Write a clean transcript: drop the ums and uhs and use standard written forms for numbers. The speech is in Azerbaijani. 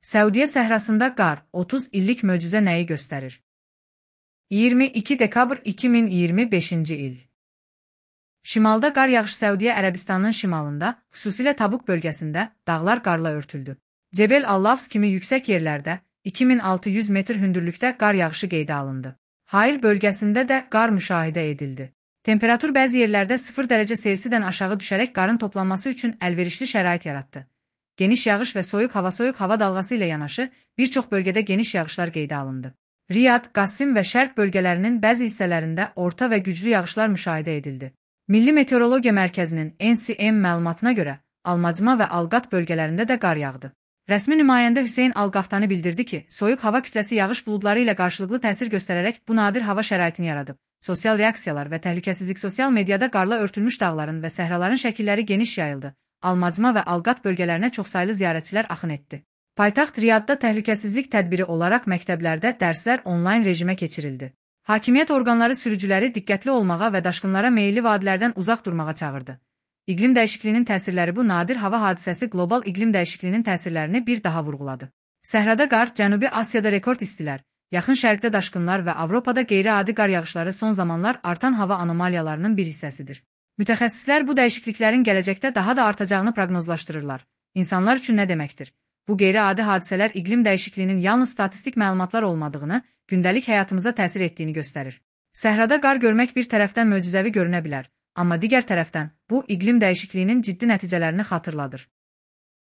Səudiyyə səhrasında qar 30 illik möcüzə nəyi göstərir? 22 dekabr 2025-ci il. Şimalda qar yağışı Səudiyyə Ərəbistanının şimalında, xüsusilə Tabuk bölgəsində dağlar qarla örtüldü. Cebel Al-Lafz kimi yüksək yerlərdə 2600 metr hündürlükdə qar yağışı qeydə alındı. Hail bölgəsində də qar müşahidə edildi. Temperatur bəzi yerlərdə 0 dərəcə Selsidən aşağı düşərək qarın toplanması üçün əlverişli şərait yaratdı. Geniş yağış və soyuq hava dalğası ilə yanaşı bir çox bölgədə geniş yağışlar qeydə alındı. Riyad, Qassim və Şərq bölgələrinin bəzi hissələrində orta və güclü yağışlar müşahidə edildi. Milli Meteorologiya Mərkəzinin NCM məlumatına görə Almacma və Alqat bölgələrində də qar yağdı. Rəsmi nümayəndə Hüseyn Al-Qahtani bildirdi ki, soyuq hava kütləsi yağış buludları ilə qarşılıqlı təsir göstərərək bu nadir hava şəraitini yaradıb. Sosial reaksiyalar və təhlükəsizlik sosial mediada qarla örtülmüş dağların və səhraların şəkilləri geniş yayıldı. Almacma və Alqat bölgələrinə çoxsaylı ziyarətçilər axın etdi. Paytaxt Riyadda təhlükəsizlik tədbiri olaraq məktəblərdə dərslər onlayn rejimə keçirildi. Hakimiyyət orqanları sürücüləri diqqətli olmağa və daşqınlara meyilli vadilərdən uzaq durmağa çağırdı. İqlim dəyişikliyinin təsirləri Bu nadir hava hadisəsi qlobal iqlim dəyişikliyinin təsirlərini bir daha vurğuladı. Səhrada qar, Cənubi Asiyada rekord istilər, Yaxın Şərqdə daşqınlar və Avropada qeyri-adi qar yağışları son zamanlar artan hava anomaliyalarının bir hissəsidir. Mütəxəssislər bu dəyişikliklərin gələcəkdə daha da artacağını proqnozlaşdırırlar. İnsanlar üçün nə deməkdir? Bu qeyri-adi hadisələr iqlim dəyişikliyinin yalnız statistik məlumatlar olmadığını, gündəlik həyatımıza təsir etdiyini göstərir. Səhrada qar görmək bir tərəfdən möcüzəvi görünə bilər, amma digər tərəfdən bu iqlim dəyişikliyinin ciddi nəticələrini xatırladır.